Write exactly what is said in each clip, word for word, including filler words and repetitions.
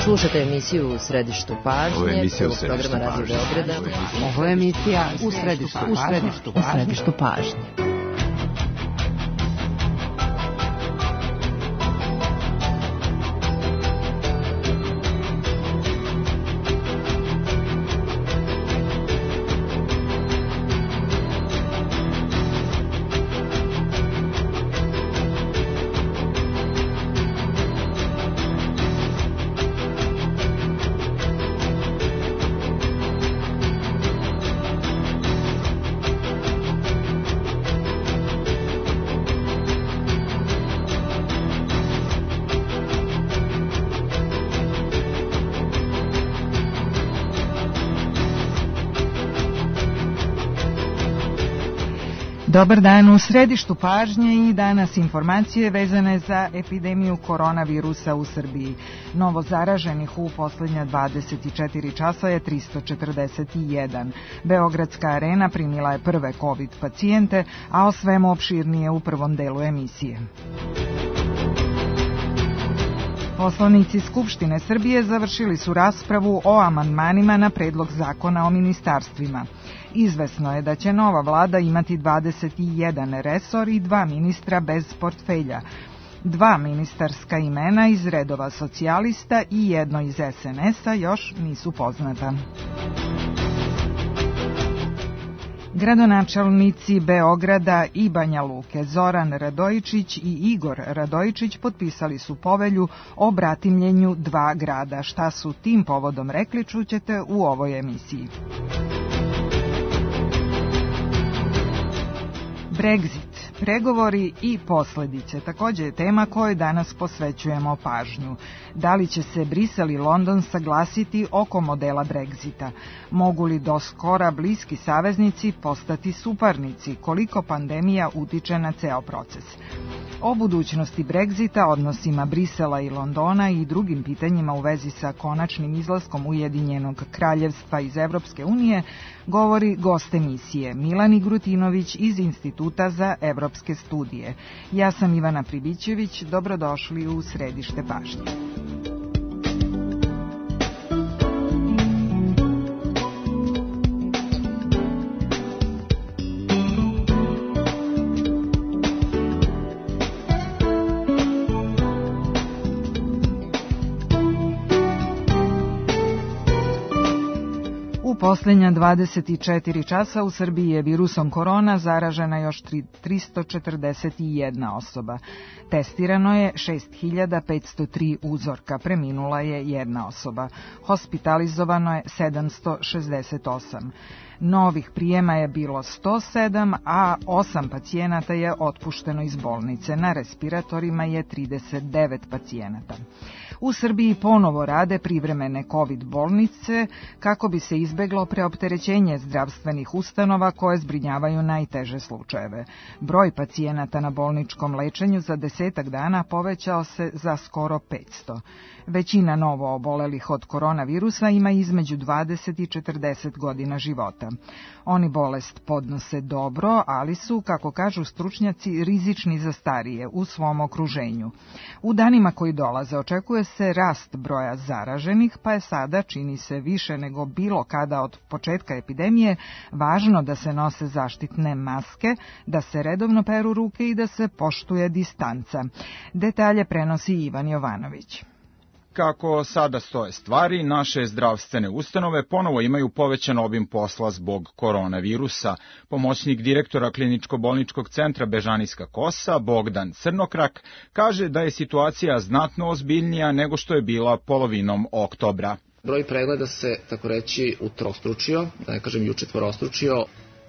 Slušate emisiju U središtu pažnje, prvog programa Radio Beograda. Ovo je emisija U središtu pažnje. U središtu pažnje. Dobar dan, u središtu pažnje i danas informacije vezane za epidemiju koronavirusa u Srbiji. Novo zaraženih u posljednja dvadeset četiri časa je tristo četrdeset jedan. Beogradska arena primila je prve COVID pacijente, a o svemu opširnije u prvom delu emisije. Poslanici Skupštine Srbije završili su raspravu o amandmanima na predlog zakona o ministarstvima. Izvesno je da će nova vlada imati dvadeset jedan resor i dva ministra bez portfelja. Dva ministarska imena iz redova socijalista i jedno iz es en es-a još nisu poznata. Gradonačelnici Beograda i Banja Luke Zoran Radojičić i Igor Radojičić potpisali su povelju o bratimljenju dva grada. Šta su tim povodom rekli, čućete u ovoj emisiji. Brexit, pregovori i posljedice također je tema kojoj danas posvećujemo pažnju. Da li će se Brisel i London saglasiti oko modela Brexita? Mogu li do skora bliski saveznici postati suparnici? Koliko pandemija utiče na ceo proces? O budućnosti Brexita, odnosima Brisela i Londona i drugim pitanjima u vezi sa konačnim izlaskom Ujedinjenog kraljevstva iz Evropske unije govori gost emisije Milan Igrutinović iz Instituta za evropske studije. Ja sam Ivana Pribićević, dobrodošli u središte pažnje. U posljednja dvadeset četiri časa u Srbiji je virusom korona zaražena još tristo četrdeset jedna osoba. Testirano je šest hiljada petsto tri uzorka, preminula je jedna osoba. Hospitalizovano je sedamsto šezdeset osam. Novih prijema je bilo sto sedam, a osam pacijenata je otpušteno iz bolnice. Na respiratorima je trideset devet pacijenata. U Srbiji ponovo rade privremene COVID bolnice kako bi se izbeglo preopterećenje zdravstvenih ustanova koje zbrinjavaju najteže slučajeve. Broj pacijenata na bolničkom lečenju za desetak dana povećao se za skoro petsto. Većina novo obolelih od koronavirusa ima između dvadeset i četrdeset godina života. Oni bolest podnose dobro, ali su, kako kažu stručnjaci, rizični za starije u svom okruženju. U danima koji dolaze očekuje se rast broja zaraženih, pa je sada, čini se više nego bilo kada od početka epidemije, važno da se nose zaštitne maske, da se redovno peru ruke i da se poštuje distanca. Detalje prenosi Ivan Jovanović. Kako sada stoje stvari, naše zdravstvene ustanove ponovo imaju povećan obim posla zbog koronavirusa. Pomoćnik direktora kliničko-bolničkog centra Bežanijska Kosa, Bogdan Crnokrak, kaže da je situacija znatno ozbiljnija nego što je bila polovinom oktobra. Broj pregleda se, tako reći, utrostručio, da ne kažem i učetvorostručio.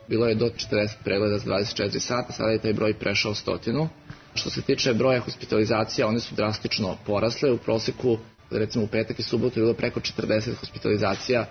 Bilo je do četrdeset pregleda za dvadeset četiri sata, sada je taj broj prešao stotinu. Što se tiče broja hospitalizacija, one su drastično porasle. U proseku, recimo u petak i subotu, je bilo preko četrdeset hospitalizacija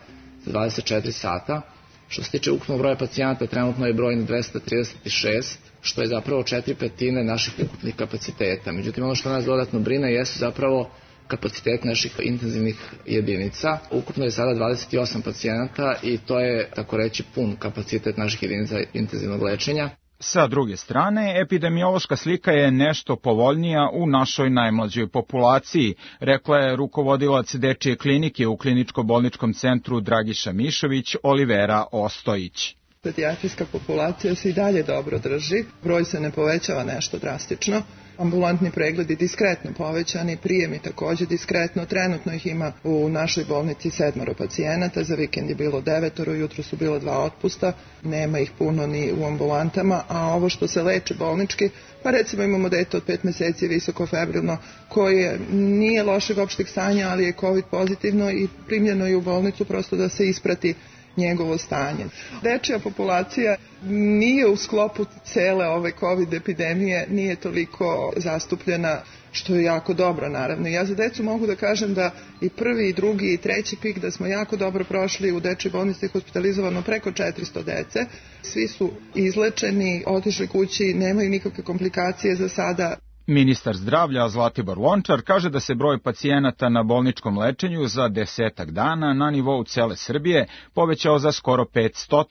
za dvadeset četiri sata. Što se tiče ukupnog broja pacijenata, trenutno je broj na dvesta trideset šest, što je zapravo četiri petine naših ukupnih kapaciteta. Međutim, ono što nas dodatno brine jesu zapravo kapacitet naših intenzivnih jedinica. Ukupno je sada dvadeset osam pacijenata i to je, tako reći, pun kapacitet naših jedinica intenzivnog lečenja. Sa druge strane, epidemiološka slika je nešto povoljnija u našoj najmlađoj populaciji, rekla je rukovodilac dečije klinike u kliničko-bolničkom centru Dragiša Mišović Olivera Ostojić. Pedijatrijska populacija se i dalje dobro drži, broj se ne povećava nešto drastično. Ambulantni pregledi diskretno povećani, prijemi takođe diskretno, trenutno ih ima u našoj bolnici sedmoro pacijenata, za vikend je bilo devetoro, jutro su bilo dva otpusta, nema ih puno ni u ambulantama, a ovo što se leče bolnički, pa recimo imamo dete od pet meseci visoko febrilno, koje nije lošeg opšteg stanja, ali je COVID pozitivno i primljeno je u bolnicu prosto da se isprati njegovo stanje. Dečija populacija nije u sklopu cele ove COVID epidemije, nije toliko zastupljena, što je jako dobro naravno. Ja za decu mogu da kažem da i prvi, i drugi, i treći pik da smo jako dobro prošli, u dečjoj bolnici hospitalizovano preko četiristo dece. Svi su izlečeni, otišli kući, nemaju nikakve komplikacije za sada. Ministar zdravlja Zlatibor Lončar kaže da se broj pacijenata na bolničkom lečenju za desetak dana na nivou cele Srbije povećao za skoro petsto,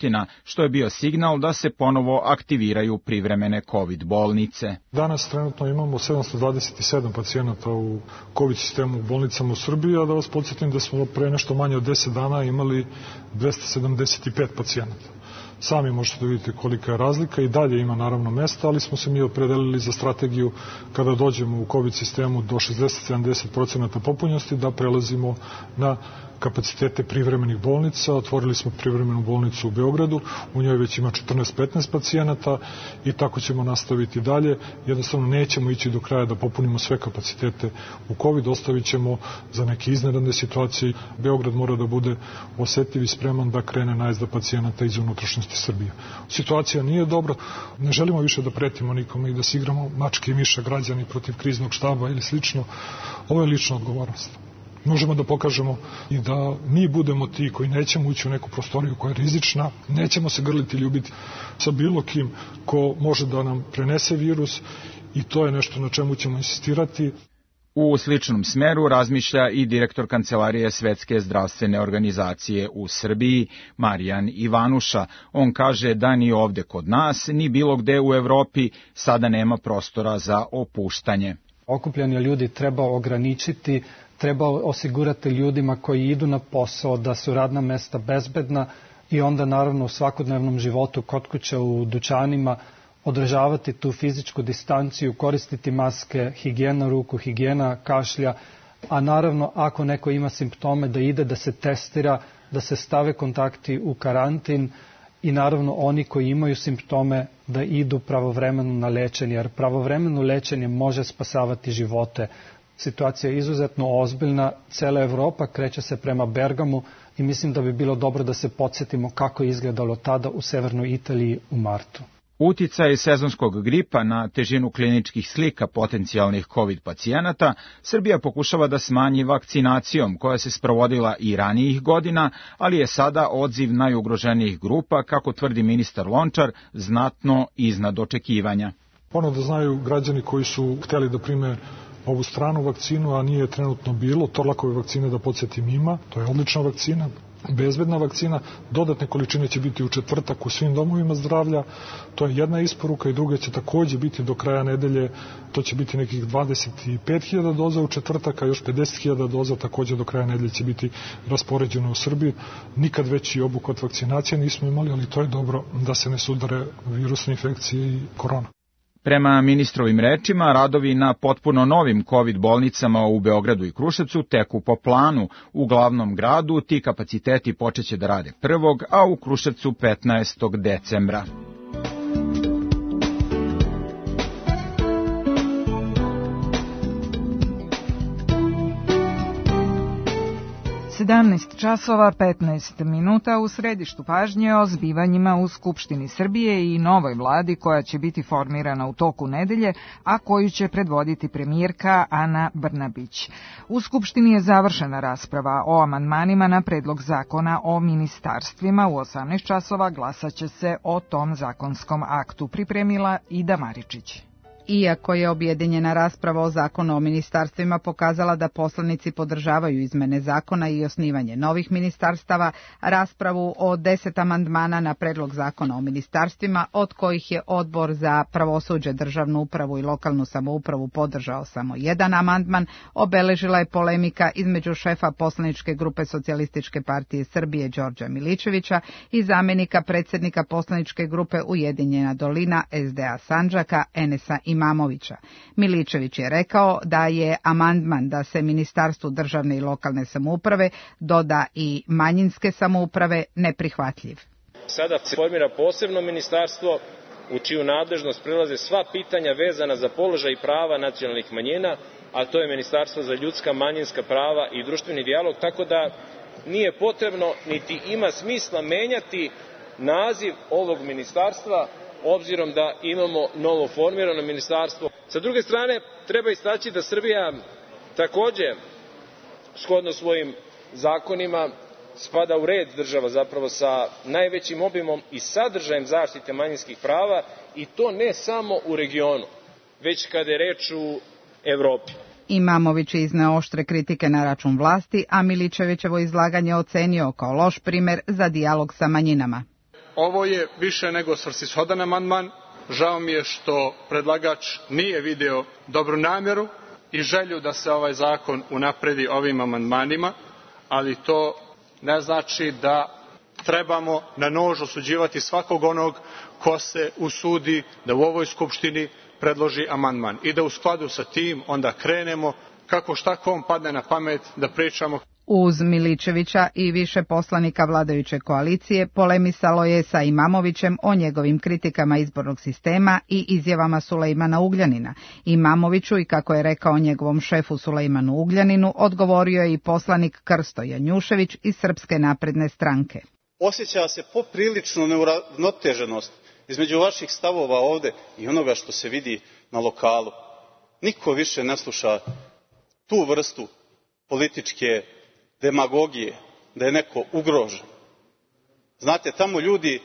što je bio signal da se ponovo aktiviraju privremene COVID bolnice. Danas trenutno imamo sedamsto dvadeset sedam pacijenata u COVID sistemu u bolnicama u Srbiji, a da vas podsjetim da smo pre nešto manje od deset dana imali dvesta sedamdeset pet pacijenata. Sami možete da vidite kolika je razlika i dalje ima naravno mesta, ali smo se mi opredelili za strategiju kada dođemo u COVID sistemu do šezdeset do sedamdeset procenata popunjenosti da prelazimo na kapacitete privremenih bolnica. Otvorili smo privremenu bolnicu u Beogradu, u njoj već ima četrnaest do petnaest pacijenata i tako ćemo nastaviti dalje. Jednostavno nećemo ići do kraja da popunimo sve kapacitete u COVID, ostavit ćemo za neke iznenadne situacije. Beograd mora da bude osetljiv i spreman da krene najezda pacijenata iz unutrašnjosti Srbije. Situacija nije dobra, ne želimo više da pretimo nikome i da se igramo mačke i miša građani protiv kriznog štaba ili slično. Ovo je lična odgovornost. Možemo da pokažemo i da mi budemo ti koji nećemo ući u neku prostoriju koja je rizična, nećemo se grliti, ljubiti sa bilo kim ko može da nam prenese virus i to je nešto na čemu ćemo insistirati. U sličnom smeru razmišlja i direktor Kancelarije Svetske zdravstvene organizacije u Srbiji, Marijan Ivanuša. On kaže da ni ovde kod nas, ni bilo gde u Evropi sada nema prostora za opuštanje. Okupljanje ljudi treba ograničiti, treba osigurati ljudima koji idu na posao da su radna mesta bezbedna i onda naravno u svakodnevnom životu kod kuće u dućanima održavati tu fizičku distanciju, koristiti maske, higijena ruku, higijena kašlja, a naravno ako neko ima simptome da ide da se testira, da se stave kontakti u karantin i naravno oni koji imaju simptome da idu pravovremeno na lečenje, jer pravovremeno lečenje može spasavati živote. Situacija je izuzetno ozbiljna, cela Evropa kreće se prema Bergamu i mislim da bi bilo dobro da se podsjetimo kako je izgledalo tada u severnoj Italiji u martu. Uticaj sezonskog gripa na težinu kliničkih slika potencijalnih COVID pacijenata Srbija pokušava da smanji vakcinacijom koja se sprovodila i ranijih godina, ali je sada odziv najugroženijih grupa, kako tvrdi ministar Lončar, znatno iznad očekivanja. Ono da znaju građani koji su hteli da prime ovu stranu vakcinu, a nije trenutno bilo, Torlakove vakcine da podsjetim ima, to je odlična vakcina, bezbedna vakcina, dodatne količine će biti u četvrtak u svim domovima zdravlja, to je jedna isporuka i druga će takođe biti do kraja nedelje, to će biti nekih dvadeset pet hiljada doza u četvrtak, a još pedeset hiljada doza takođe do kraja nedelje će biti raspoređeno u Srbiji. Nikad veći obuhvat vakcinacije nismo imali, ali to je dobro da se ne sudare virusne infekcije i korona. Prema ministrovim rečima, radovi na potpuno novim COVID bolnicama u Beogradu i Kruševcu teku po planu. U glavnom gradu ti kapaciteti počeće da rade prvog, a u Kruševcu petnaestog decembra. sedamnaest časova petnaest minuta u središtu pažnje o zbivanjima u Skupštini Srbije i novoj vladi koja će biti formirana u toku nedelje, a koju će predvoditi premijerka Ana Brnabić. U Skupštini je završena rasprava o amandmanima na predlog zakona o ministarstvima. U osamnaest časova glasaće se o tom zakonskom aktu, pripremila Ida Maričić. Iako je objedinjena rasprava o zakonu o ministarstvima pokazala da poslanici podržavaju izmene zakona i osnivanje novih ministarstava, raspravu o deset amandmana na predlog zakona o ministarstvima, od kojih je Odbor za pravosuđe, državnu upravu i lokalnu samoupravu podržao samo jedan amandman, obeležila je polemika između šefa poslaničke grupe Socijalističke partije Srbije Đorđa Miličevića i zamenika predsjednika poslaničke grupe Ujedinjena dolina S D A Sandžaka Enesa Imamovića. Miličević je rekao da je amandman da se Ministarstvu državne i lokalne samouprave doda i manjinske samouprave neprihvatljiv. Sada se formira posebno ministarstvo u čiju nadležnost prilaze sva pitanja vezana za položaj i prava nacionalnih manjina, a to je Ministarstvo za ljudska, manjinska prava i društveni dijalog, tako da nije potrebno niti ima smisla menjati naziv ovog ministarstva, obzirom da imamo novo formirano ministarstvo. Sa druge strane, treba istaći da Srbija takođe, shodno svojim zakonima, spada u red država zapravo sa najvećim obimom i sadržajem zaštite manjinskih prava, i to ne samo u regionu, već kada je reč u Evropi. Imamović je izneo oštre kritike na račun vlasti, a Miličevićevo izlaganje ocenio kao loš primer za dijalog sa manjinama. Ovo je više nego svrsishodan amandman. Žao mi je što predlagač nije video dobru namjeru i želju da se ovaj zakon unapredi ovim amandmanima, ali to ne znači da trebamo na nož osuđivati svakog onog ko se usudi da u ovoj Skupštini predloži amandman i da u skladu sa tim onda krenemo kako šta kom padne na pamet da pričamo. Uz Miličevića i više poslanika vladajuće koalicije polemisalo je sa Imamovićem o njegovim kritikama izbornog sistema i izjavama Sulejmana Ugljanina. Imamoviću i, kako je rekao njegovom šefu Sulejmanu Ugljaninu, odgovorio je i poslanik Krsto Janjušević iz Srpske napredne stranke. Osjeća se poprilično neuravnoteženost između vaših stavova ovde i onoga što se vidi na lokalu. Niko više ne sluša tu vrstu političke demagogije, da je neko ugrožen. Znate, tamo ljudi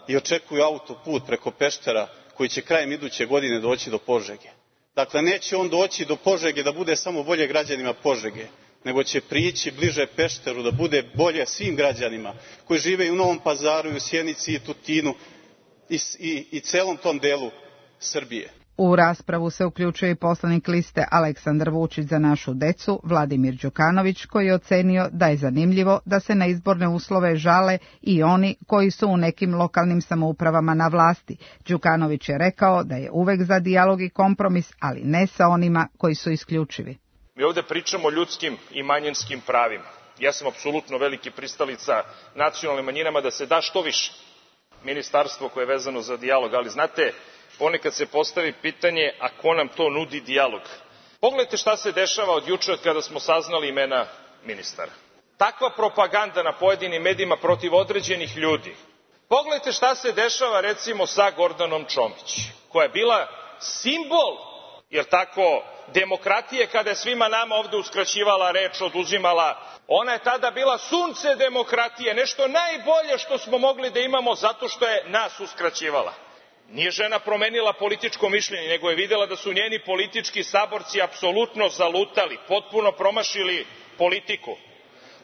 i očekuju autoput preko Peštera koji će krajem iduće godine doći do Požege. Dakle, neće on doći do Požege da bude samo bolje građanima Požege, nego će prići bliže Pešteru da bude bolje svim građanima koji žive i u Novom Pazaru, i u Sjenici, i Tutinu i, i, i celom tom delu Srbije. U raspravu se uključuje i poslanik liste Aleksandar Vučić za našu decu, Vladimir Đukanović, koji je ocenio da je zanimljivo da se na izborne uslove žale i oni koji su u nekim lokalnim samoupravama na vlasti. Đukanović je rekao da je uvek za dijalog i kompromis, ali ne sa onima koji su isključivi. Mi ovde pričamo o ljudskim i manjinskim pravima. Ja sam apsolutno veliki pristalica nacionalnim manjinama da se da što više ministarstvo koje je vezano za dijalog, ali znate, ponekad se postavi pitanje, a ko nam to nudi dijalog? Pogledajte šta se dešava od juče kada smo saznali imena ministara. Takva propaganda na pojedinim medijima protiv određenih ljudi. Pogledajte šta se dešava recimo sa Gordanom Čomić, koja je bila simbol, jer tako, demokratije, kada je svima nama ovde uskraćivala reč, oduzimala. Ona je tada bila sunce demokratije, nešto najbolje što smo mogli da imamo zato što je nas uskraćivala. Nije žena promenila političko mišljenje, nego je videla da su njeni politički saborci apsolutno zalutali, potpuno promašili politiku.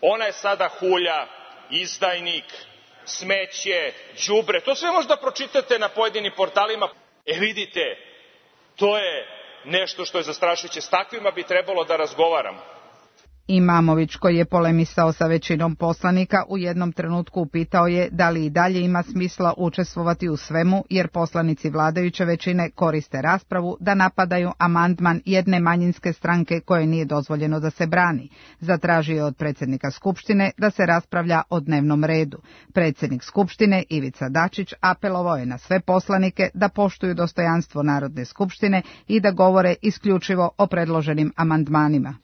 Ona je sada hulja, izdajnik, smeće, đubre. To sve možda pročitate na pojedinim portalima. E vidite, to je nešto što je zastrašujuće. S takvima bi trebalo da razgovaramo. Imamović, koji je polemisao sa većinom poslanika, u jednom trenutku upitao je da li i dalje ima smisla učestvovati u svemu, jer poslanici vladajuće većine koriste raspravu da napadaju amandman jedne manjinske stranke koje nije dozvoljeno da se brani. Zatražio je od predsjednika Skupštine da se raspravlja o dnevnom redu. Predsjednik Skupštine Ivica Dačić apelovao je na sve poslanike da poštuju dostojanstvo Narodne skupštine i da govore isključivo o predloženim amandmanima.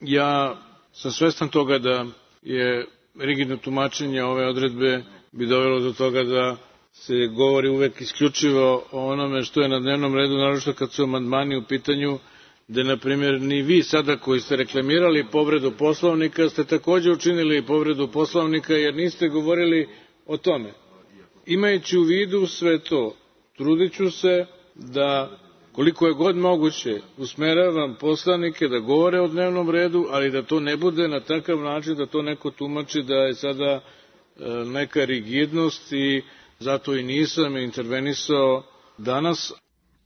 Ja sam svestan toga da je rigidno tumačenje ove odredbe bi dovelo do toga da se govori uvek isključivo o onome što je na dnevnom redu, naročito kad su amandmani u pitanju, da, na primjer, ni vi sada koji ste reklamirali povredu Poslovnika ste takođe učinili povredu Poslovnika jer niste govorili o tome. Imajući u vidu sve to, trudit ću se da koliko je god moguće usmeravam poslanike da govore o dnevnom redu, ali da to ne bude na takav način da to neko tumači da je sada neka rigidnost i zato i nisam intervenisao danas.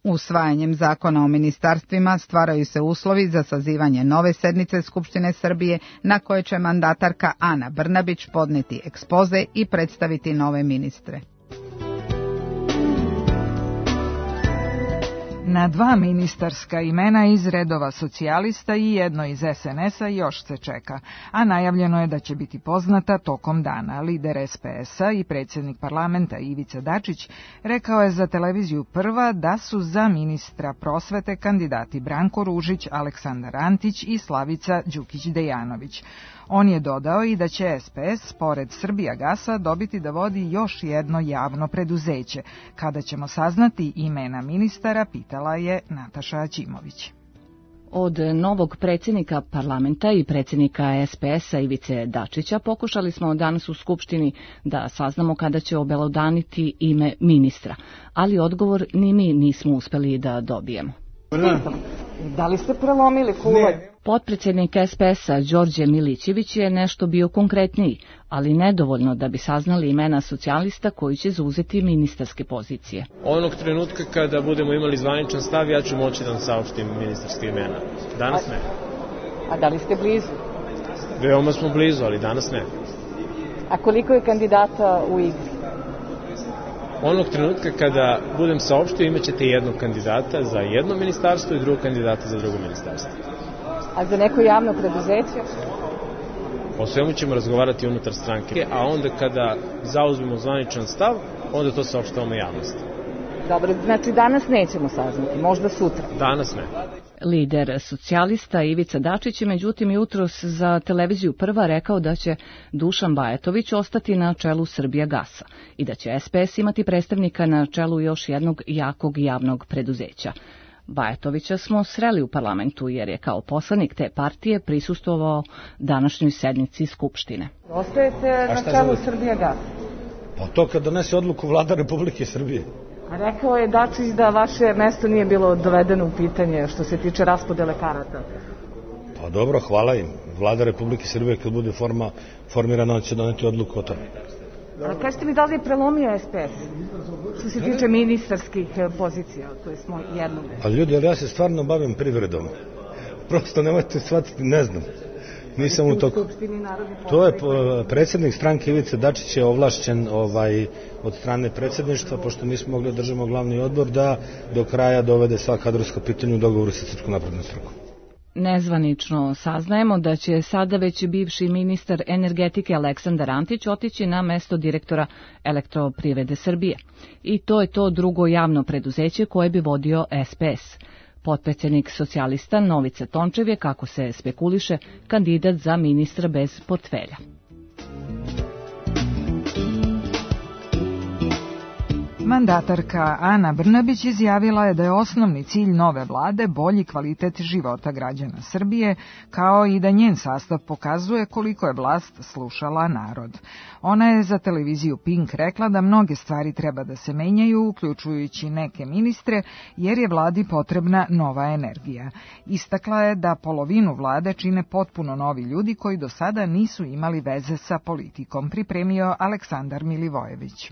Usvajanjem zakona o ministarstvima stvaraju se uslovi za sazivanje nove sednice Skupštine Srbije na kojoj će mandatarka Ana Brnabić podneti ekspoze i predstaviti nove ministre. Na dva ministarska imena iz redova socijalista i jedno iz es en es a još se čeka, a najavljeno je da će biti poznata tokom dana. Lider es pe es a i predsjednik parlamenta Ivica Dačić rekao je za televiziju Prva da su za ministra prosvete kandidati Branko Ružić, Aleksandar Antić i Slavica Đukić-Dejanović. On je dodao i da će es pe es, pored Srbijagasa, dobiti da vodi još jedno javno preduzeće. Kada ćemo saznati imena ministara, pitala je Nataša Aćimović. Od novog predsjednika parlamenta i predsjednika es pe es a Ivice Dačića pokušali smo danas u Skupštini da saznamo kada će obelodaniti ime ministra, ali odgovor ni mi nismo uspeli da dobijemo. Da li ste prelomili kuvanj? Potpredsjednik es pe es a Đorđe Milićević je nešto bio konkretniji, ali nedovoljno da bi saznali imena socijalista koji će zauzeti ministarske pozicije. Onog trenutka kada budemo imali zvaničan stav, ja ću moći da vam saopštim ministarske imena. Danas ne. A da li ste blizu? Veoma smo blizu, ali danas ne. A koliko je kandidata u igri? Onog trenutka kada budem saopštio, imat ćete jednog kandidata za jedno ministarstvo i drugog kandidata za drugo ministarstvo. A za neko javno preduzeće? O svemu ćemo razgovarati unutar stranke, a onda kada zauzmemo zvaničan stav, onda to saopštavamo javnosti. Dobro, znači danas nećemo saznati, možda sutra. Danas ne. Lider socijalista Ivica Dačić je međutim jutros za televiziju Prva rekao da će Dušan Bajatović ostati na čelu Srbijagasa i da će es pe es imati predstavnika na čelu još jednog jakog javnog preduzeća. Bajatovića smo sreli u parlamentu jer je kao poslanik te partije prisustvovao današnjoj sednici Skupštine. Ostajete na čelu Srbijagasa? Pa to kad donese odluku Vlada Republike Srbije. A rekao je Dačić da vaše mesto nije bilo dovedeno u pitanje što se tiče raspodele karata. Pa dobro, hvala im. Vlada Republike Srbije kad bude forma, formirana će doneti odluku o tome. A kažete mi da li je prelomio es pe es što se tiče ministarskih pozicija, to je smo jednog. Ali ljudi, ali ja se stvarno bavim privredom. Prosto nemojte shvatiti, ne znam. Nisam u toku. To je predsjednik stranke Ivice Dačić je ovlašćen ovaj, od strane predsjedništva, pošto nismo mogli držati glavni odbor, da do kraja dovede sva kadrovska pitanja u dogovoru sa Srpskom naprednom strankom. Nezvanično saznajemo da će sada već bivši ministar energetike Aleksandar Antić otići na mesto direktora Elektroprivrede Srbije. I to je to drugo javno preduzeće koje bi vodio es pe es. Potpredsjednik socijalista Novica Tončev je, kako se spekuliše, kandidat za ministra bez portfelja. Mandatarka Ana Brnabić izjavila je da je osnovni cilj nove vlade bolji kvalitet života građana Srbije, kao i da njen sastav pokazuje koliko je vlast slušala narod. Ona je za televiziju Pink rekla da mnoge stvari treba da se menjaju, uključujući neke ministre, jer je vladi potrebna nova energija. Istakla je da polovinu vlade čine potpuno novi ljudi koji do sada nisu imali veze sa politikom, pripremio Aleksandar Milivojević.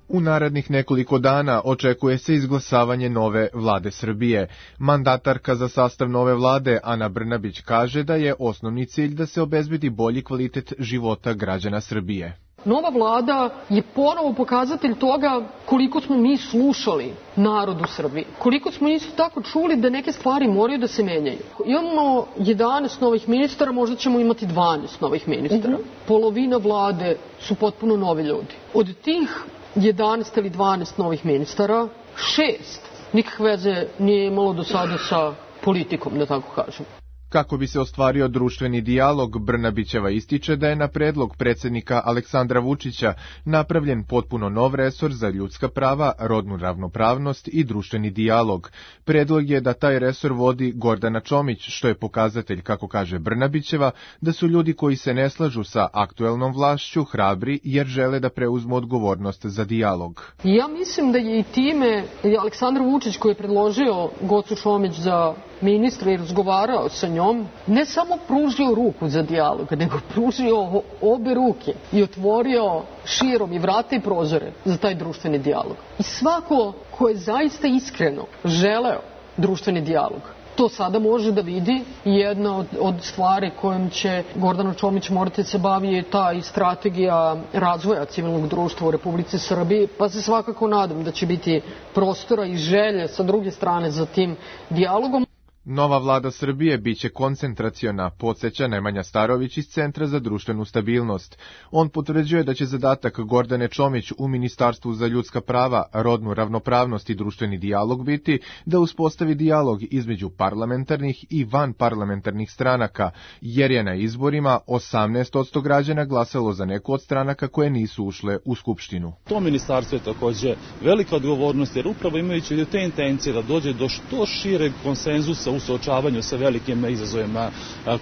U narednih nekoliko dana očekuje se izglasavanje nove vlade Srbije. Mandatarka za sastav nove vlade Ana Brnabić kaže da je osnovni cilj da se obezbedi bolji kvalitet života građana Srbije. Nova vlada je ponovo pokazatelj toga koliko smo mi slušali narod u Srbiji. Koliko smo isto tako čuli da neke stvari moraju da se menjaju. Imamo jedanaest novih ministara, možda ćemo imati dvanaest novih ministara. Uh-huh. Polovina vlade su potpuno novi ljudi. Od tih jedanaest ili dvanaest novih ministara, šest nikakve veze nije imalo do sada sa politikom, da tako kažem. Kako bi se ostvario društveni dijalog, Brnabićeva ističe da je na predlog predsjednika Aleksandra Vučića napravljen potpuno nov resor za ljudska prava, rodnu ravnopravnost i društveni dijalog. Predlog je da taj resor vodi Gordana Čomić, što je pokazatelj, kako kaže Brnabićeva, da su ljudi koji se ne slažu sa aktuelnom vlašću hrabri jer žele da preuzmu odgovornost za dijalog. Ja mislim da je i time Aleksandar Vučić, koji je predložio Gocu Čomić za ministra i razgovarao sa njom, ne samo pružio ruku za dijalog, nego pružio obe ruke i otvorio širom i vrata i prozore za taj društveni dijalog. I svako ko je zaista iskreno želeo društveni dijalog, to sada može da vidi. Jedna od, od stvari kojom će Gordana Čomić morati se bavi je ta i strategija razvoja civilnog društva u Republici Srbiji, pa se svakako nadam da će biti prostora i želje sa druge strane za tim dijalogom. Nova vlada Srbije biće koncentraciona, podsjeća Nemanja Starović iz Centra za društvenu stabilnost. On potvrđuje da će zadatak Gordane Čomić u Ministarstvu za ljudska prava, rodnu ravnopravnost i društveni dijalog biti da uspostavi dijalog između parlamentarnih i vanparlamentarnih stranaka, jer je na izborima osamnaest posto građana glasalo za neku od stranaka koje nisu ušle u Skupštinu. To ministarstvo je takođe velika odgovornost, jer upravo imajući te intencije da dođe do što šireg konsenzusa u suočavanju sa velikim izazovima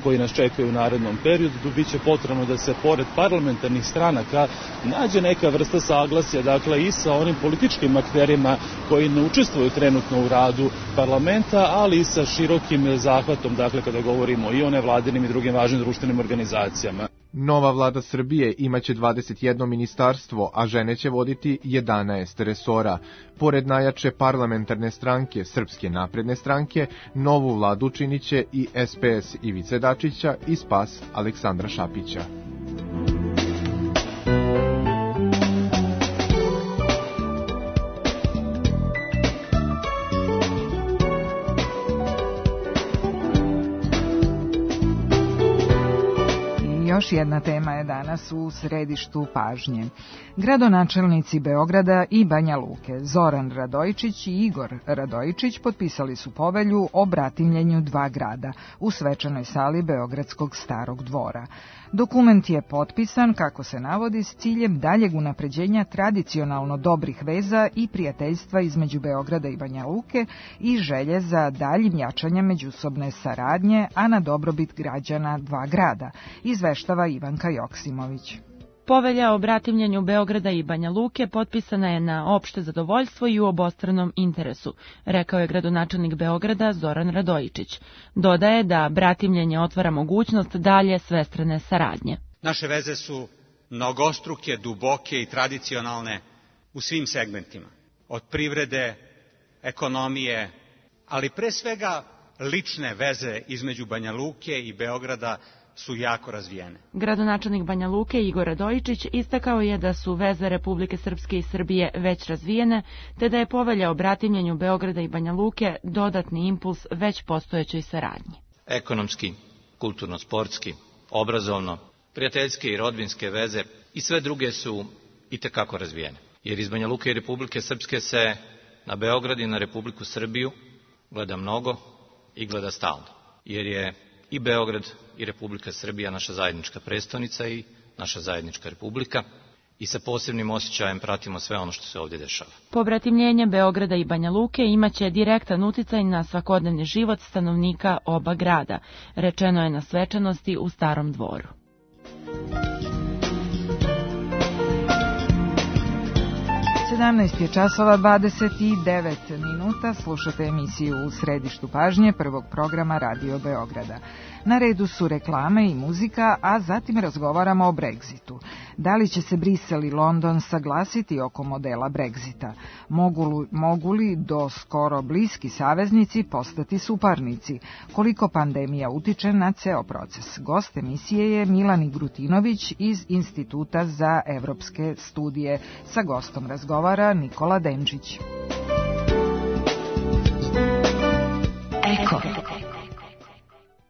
koji nas čekaju u narednom periodu, biće potrebno da se pored parlamentarnih stranaka nađe neka vrsta saglasja, dakle i sa onim političkim akterima koji ne učestvuju trenutno u radu parlamenta, ali i sa širokim zahvatom, dakle kada govorimo i o nevladinim i drugim važnim društvenim organizacijama. Nova vlada Srbije imaće dvadeset jedno ministarstvo, a žene će voditi jedanaest resora. Pored najjače parlamentarne stranke, Srpske napredne stranke, novu vladu činiće i S P S Ivice Dačića i Spas Aleksandra Šapića. Još jedna tema je danas u središtu pažnje. Gradonačelnici Beograda i Banja Luke, Zoran Radojičić i Igor Radojičić, potpisali su povelju o bratimljenju dva grada u svečanoj sali Beogradskog Starog dvora. Dokument je potpisan, kako se navodi, s ciljem daljeg unapređenja tradicionalno dobrih veza i prijateljstva između Beograda i Banja Luke i želje za daljim jačanjem međusobne saradnje, a na dobrobit građana dva grada, izveštava Ivanka Joksimović. Povelja o bratimljenju Beograda i Banja Luke potpisana je na opšte zadovoljstvo i u obostranom interesu, rekao je gradonačelnik Beograda Zoran Radojičić. Dodaje da bratimljenje otvara mogućnost dalje svestrane saradnje. Naše veze su mnogostruke, duboke i tradicionalne u svim segmentima. Od privrede, ekonomije, ali pre svega lične veze između Banja Luke i Beograda su jako razvijene. Gradonačelnik Banja Luke Igor Radojičić istakao je da su veze Republike Srpske i Srbije već razvijene, te da je povelja o bratimljenju Beograda i Banja Luke dodatni impuls već postojećoj saradnji. Ekonomski, kulturno-sportski, obrazovno, prijateljske i rodbinske veze i sve druge su itekako razvijene. Jer iz Banja Luke i Republike Srpske se na Beograd i na Republiku Srbiju gleda mnogo i gleda stalno. Jer je i Beograd i Republika Srbija naša zajednička prestonica i naša zajednička republika i sa posebnim osjećajem pratimo sve ono što se ovdje dešava. Pobratimljenje Beograda i Banja Luke imaće direktan uticaj na svakodnevni život stanovnika oba grada, rečeno je na svečanosti u Starom dvoru. sedamnaest je časova dvadeset devet minuta, slušate emisiju U središtu pažnje prvog programa Radio Beograda. Na redu su reklame i muzika, a zatim razgovaramo o Brexitu. Da li će se Brisel i London saglasiti oko modela Brexita? Mogu, mogu li do skoro bliski saveznici postati suparnici? Koliko pandemija utiče na ceo proces? Gost emisije je Milan Igrutinović iz Instituta za evropske studije. Sa gostom razgovara Nikola Denčić. Eko.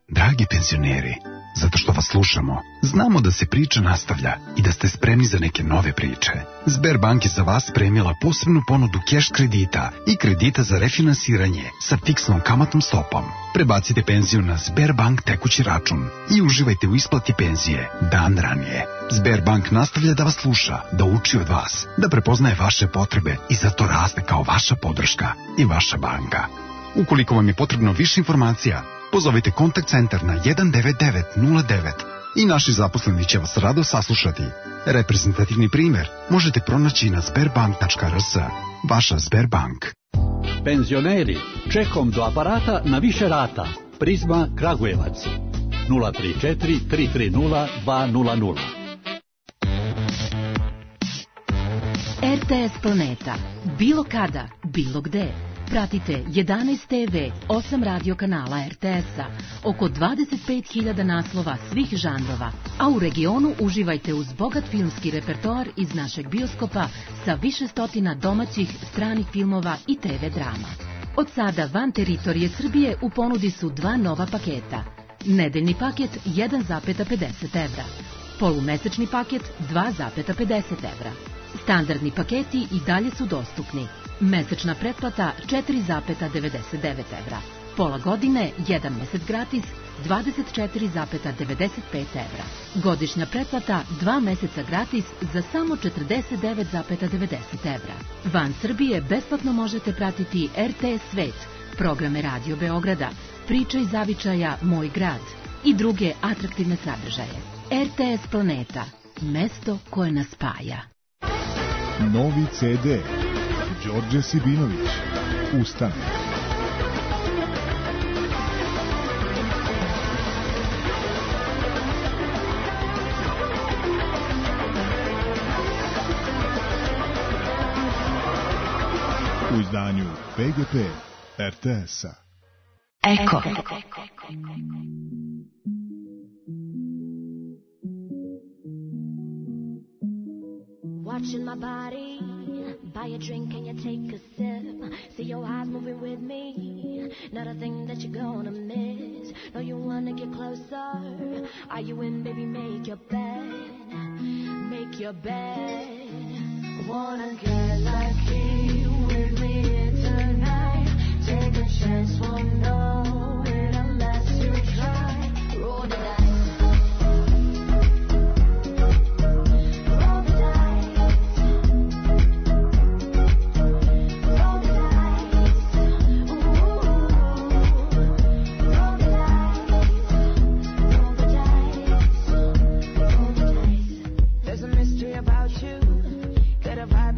Dragi penzioneri, Zato što vas slušamo. Znamo da se priča nastavlja i da ste spremni za neke nove priče. Sberbank je za vas spremila posebnu ponudu keš kredita i kredita za refinansiranje sa fiksnom kamatnom stopom. Prebacite penziju na Sberbank tekući račun i uživajte u isplati penzije dan ranije. Sberbank nastavlja da vas sluša, da uči od vas, da prepoznaje vaše potrebe i zato raste kao vaša podrška i vaša banka. Ukoliko vam je potrebno više informacija, pozovite kontakt centar na jedan devet devet nula devet i naši zaposleni će vas rado saslušati. Reprezentativni primer možete pronaći na sberbank tačka r s. Vaša Sberbank. Penzioneri, čekom do aparata na više rata. Prizma Kragujevac. nula tri četiri tri tri nula dva nula nula. R T S Planeta. Bilo kada, bilo gde. Pratite jedanaest te ve, osam radio kanala er te es-a, oko dvadeset pet hiljada naslova svih žanrova, a u regionu uživajte uz bogat filmski repertoar iz našeg bioskopa sa više stotina domaćih, stranih filmova i te ve drama. Od sada van teritorije Srbije u ponudi su dva nova paketa. Nedeljni paket jedan zarez pedeset evra, polumesečni paket dva zarez pedeset evra. Standardni paketi i dalje su dostupni. Mesečna pretplata četiri zarez devedeset devet evra. Pola godine, jedan mesec gratis, dvadeset četiri zarez devedeset pet evra. Godišnja pretplata, dva meseca gratis za samo četrdeset devet zarez devedeset evra. Van Srbije besplatno možete pratiti er te es Svet, programe Radio Beograda, Priče iz zavičaja Moj grad i druge atraktivne sadržaje. er te es Planeta, mesto koje nas spaja. Novi ce de. Đorđe Sibinović. Ustane. U izdanju pe ge pe er te es-a. Eko. Watching my body, buy a drink and you take a sip. See your eyes moving with me, not a thing that you're gonna miss. No, you wanna get closer. Are you in, baby? Make your bed, make your bed. Wanna get lucky with me tonight? Take a chance, won't know it unless you try. Roll the dice.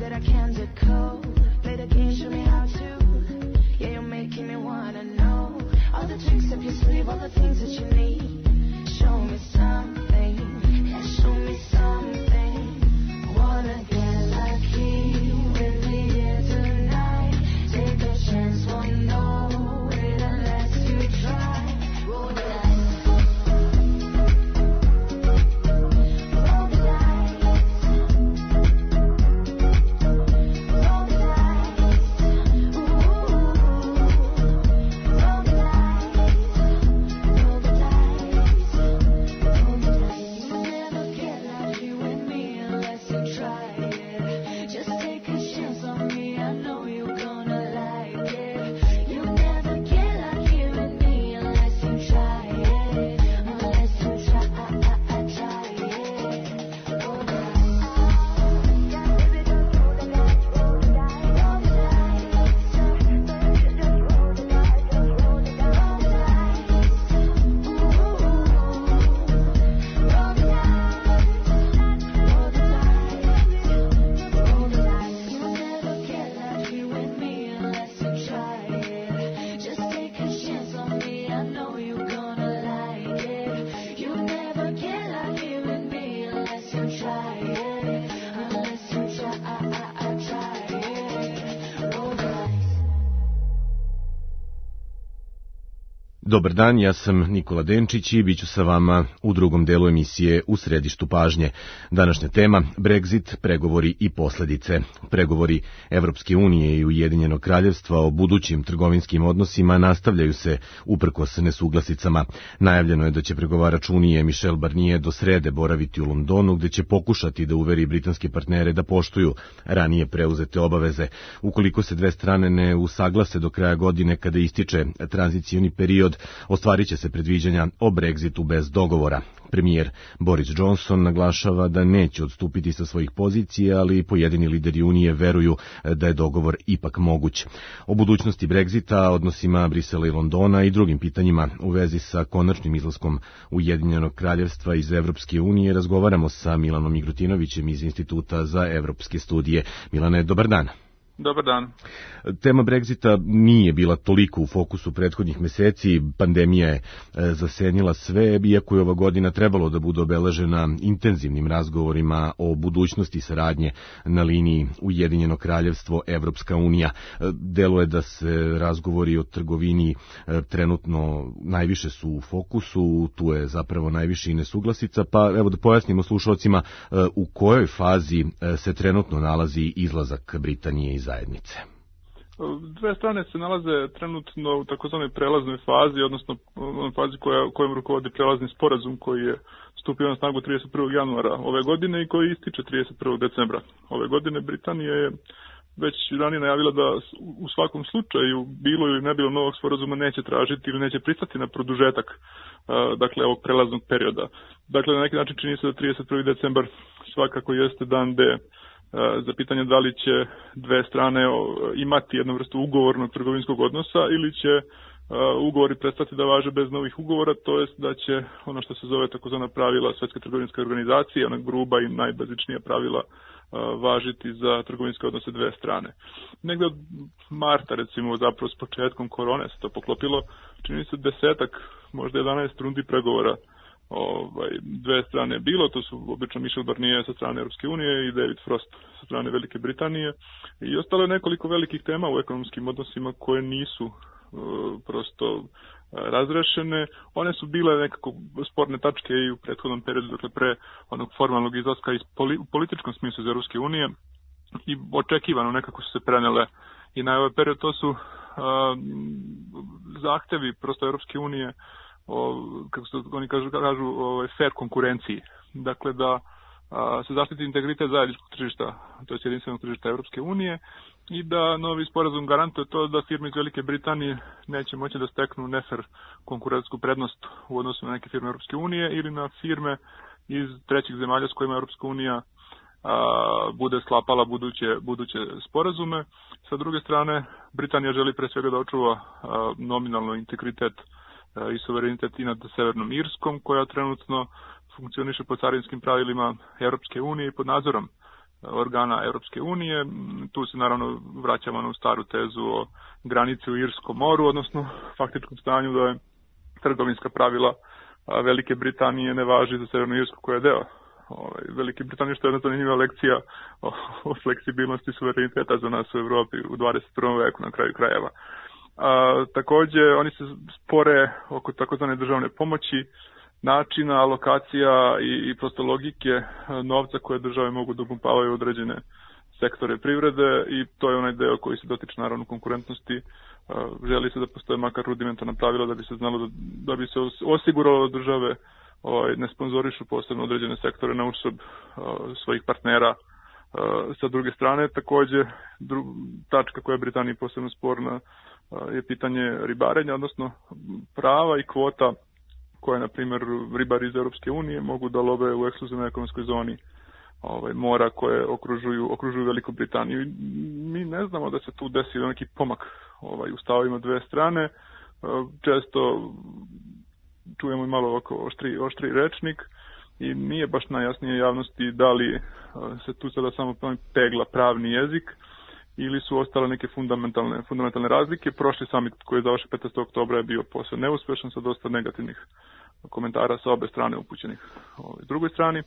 That I can't decode. Play the game, show me how to. Yeah, you're making me wanna know. Dobar dan, ja sam Nikola Denčić i bit ću sa vama u drugom delu emisije U središtu pažnje. Današnja tema, Brexit, pregovori i posledice. Pregovori Evropske unije i Ujedinjenog kraljevstva o budućim trgovinskim odnosima nastavljaju se uprkos nesuglasicama. Najavljeno je da će pregovarač Unije Michel Barnier do srede boraviti u Londonu, gde će pokušati da uveri britanske partnere da poštuju ranije preuzete obaveze. Ukoliko se dve strane ne usaglase do kraja godine kada ističe tranzicioni period, ostvarit će se predviđanja o Brexitu bez dogovora. Premijer Boris Johnson naglašava da neće odstupiti sa svojih pozicija, ali pojedini lideri Unije veruju da je dogovor ipak moguć. O budućnosti Brexita, odnosima Brisela i Londona i drugim pitanjima u vezi sa konačnim izlaskom Ujedinjenog kraljevstva iz Evropske unije razgovaramo sa Milanom Igrutinovićem iz Instituta za evropske studije. Milane, dobar dan. Dobar dan. Tema Brexita nije bila toliko u fokusu prethodnih meseci, pandemija je zasenila sve, iako je ova godina trebalo da bude obeležena intenzivnim razgovorima o budućnosti saradnje na liniji Ujedinjeno kraljevstvo Evropska unija. Delo je da se razgovori o trgovini trenutno najviše su u fokusu, tu je zapravo najviše i nesuglasica, pa evo da pojasnimo slušalcima u kojoj fazi se trenutno nalazi izlazak Britanije iz zajednice. Dve strane se nalaze trenutno u takozvanoj prelaznoj fazi, odnosno u fazi koja, kojom rukovodi prelazni sporazum koji je stupio na snagu trideset prvog januara ove godine i koji ističe trideset prvog decembra ove godine. Britanija je već ranije najavila da u svakom slučaju bilo ili ne bilo novog sporazuma neće tražiti ili neće pristati na produžetak dakle ovog prelaznog perioda. Dakle, na neki način čini se da trideset prvi decembar svakako jeste dan D za pitanje da li će dve strane imati jednu vrstu ugovornog trgovinskog odnosa ili će ugovori prestati da važe bez novih ugovora, to jest da će ono što se zove takozvana pravila Svetske trgovinske organizacije, ona gruba i najbazičnija pravila važiti za trgovinske odnose dve strane. Negde od marta, recimo, zapravo s početkom korone se to poklopilo, čini se desetak, možda jedanaest rundi pregovora Ovaj, dve strane bilo, to su obično Michel Barnier sa strane Europske unije i David Frost sa strane Velike Britanije i ostalo je nekoliko velikih tema u ekonomskim odnosima koje nisu uh, prosto razrešene. One su bile nekako sporne tačke i u prethodnom periodu, dakle pre onog formalnog izlaska iz poli, u političkom smislu iz Europske unije i očekivano nekako su se prenele i na ovaj period. To su uh, zahtevi prosto Europske unije o, kako se oni kažu, kažu o fair konkurenciji. Dakle, da a, se zaštiti integritet zajedničkog tržišta, to je jedinstvenog tržišta Europske unije i da novi sporazum garantuje to da firme iz Velike Britanije neće moći da steknu nefer konkurentsku prednost u odnosu na neke firme Europske unije ili na firme iz trećih zemalja s kojima Europska unija a, bude sklapala buduće, buduće sporazume. Sa druge strane, Britanija želi pre svega da očuva a, nominalno integritet i suverenitet i nad Severnom Irskom, koja trenutno funkcioniše po carinskim pravilima Europske unije i pod nadzorom organa Europske unije. Tu se naravno vraćamo na staru tezu o granici u Irskom moru, odnosno faktičkom stanju da je trgovinska pravila Velike Britanije ne važi za Severnu Irsku koja je deo Velike Britanije, što je jedna zanimljiva lekcija o, o fleksibilnosti suvereniteta za nas u Evropi u dvadeset prvom veku na kraju krajeva. A, takođe, oni se spore oko takozvane državne pomoći, načina, alokacija i, i prosto logike novca koje države mogu da upumpavaju određene sektore privrede i to je onaj deo koji se dotiče naravno konkurentnosti. A, želi se da postoje makar rudimentarna pravila da bi se znalo da, da bi se osiguralo da države ovaj, ne sponzorišu posebno određene sektore na uštrb svojih partnera. A, sa druge strane, takođe, dru, tačka koja je Britaniji posebno sporna je pitanje ribarenja, odnosno prava i kvota koje, na primjer, ribari iz Europske unije mogu da love u ekskluzivnoj ekonomskoj zoni ovaj, mora koje okružuju, okružuju Veliku Britaniju. Mi ne znamo da se tu desi neki pomak ovaj, u stavovima dve strane. Često čujemo i malo ovako oštri, oštri rečnik i nije baš najjasnije javnosti da li se tu sada samo pegla pravni jezik ili su ostale neke fundamentalne, fundamentalne razlike. Prošli summit koji je završen petnaestog oktobra je bio posve neuspešan sa dosta negativnih komentara sa obe strane upućenih ovoj drugoj strani.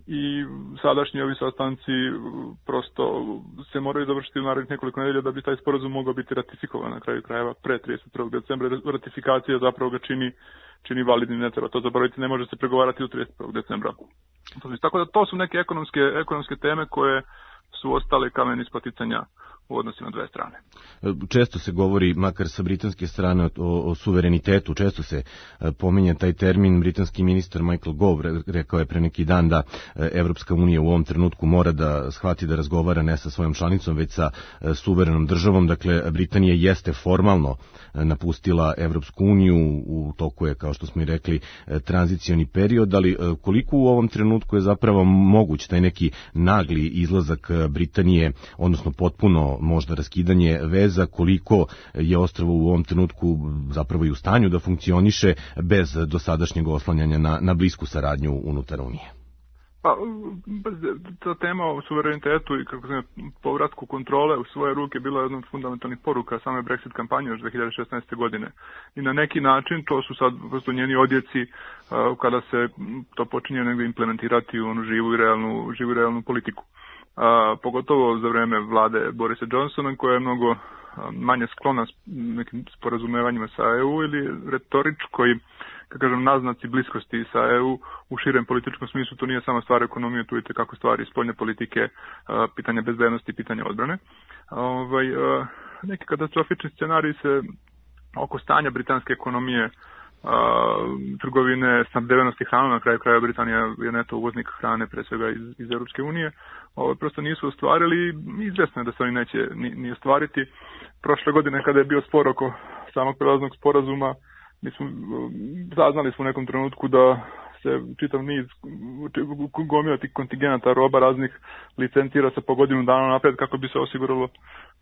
i sadašnji ovi sastanci prosto se moraju završiti u narednih nekoliko nedelja da bi taj sporazum mogao biti ratifikovan na kraju krajeva pre trideset prvog decembra. Ratifikacija zapravo ga čini, čini validnim, ne treba to zaboraviti, ne može se pregovarati u trideset prvog decembra. Tako da to su neke ekonomske, ekonomske teme koje su ostale kamen spoticanja u odnosima dve strane. Često se govori, makar sa britanske strane, o, o suverenitetu, često se pominje taj termin. Britanski ministar Michael Gove rekao je pre neki dan da Evropska unija u ovom trenutku mora da shvati da razgovara ne sa svojom članicom, već sa suverenom državom. Dakle, Britanija jeste formalno napustila Evropsku uniju, u toku je, kao što smo i rekli, tranzicioni period, ali koliko u ovom trenutku je zapravo moguć taj neki nagli izlazak Britanije, odnosno potpuno možda raskidanje veza, koliko je ostrvo u ovom trenutku zapravo i u stanju da funkcioniše bez dosadašnjeg oslanjanja na, na blisku saradnju unutar Unije? Pa, ta tema o suverenitetu i kako se povratku kontrole u svoje ruke bila jedna od fundamentalnih poruka same Brexit kampanje još dve hiljade šesnaeste. godine. I na neki način to su sad prosto njeni odjeci uh, kada se to počinje negdje implementirati u onu živu i realnu, živu i realnu politiku. A, pogotovo za vreme vlade Borisa Johnsona, koja je mnogo a, manje sklona s nekim sporazumevanjima sa E U ili retoričkoj, kako kažem, naznaci bliskosti sa E U u širem političkom smislu. To nije samo stvar ekonomije, tu je kako stvari spoljne politike, a, pitanja bezbednosti, pitanja odbrane. A, ovaj, a, neki katastrofični scenarij se oko stanja britanske ekonomije, Uh, trgovine, snabdevenosti hranom, na kraju kraja Britanija je neto uvoznik hrane, pre svega iz, iz Europske unije, ovo prosto nisu ostvarili i izvesno je da se oni neće ni, ni ostvariti. Prošle godine kada je bio spor oko samog prelaznog sporazuma, mi smo, saznali smo u nekom trenutku da se čitav niz gomila tih kontingenata roba raznih licencira se po godinu dana napred kako bi se osiguralo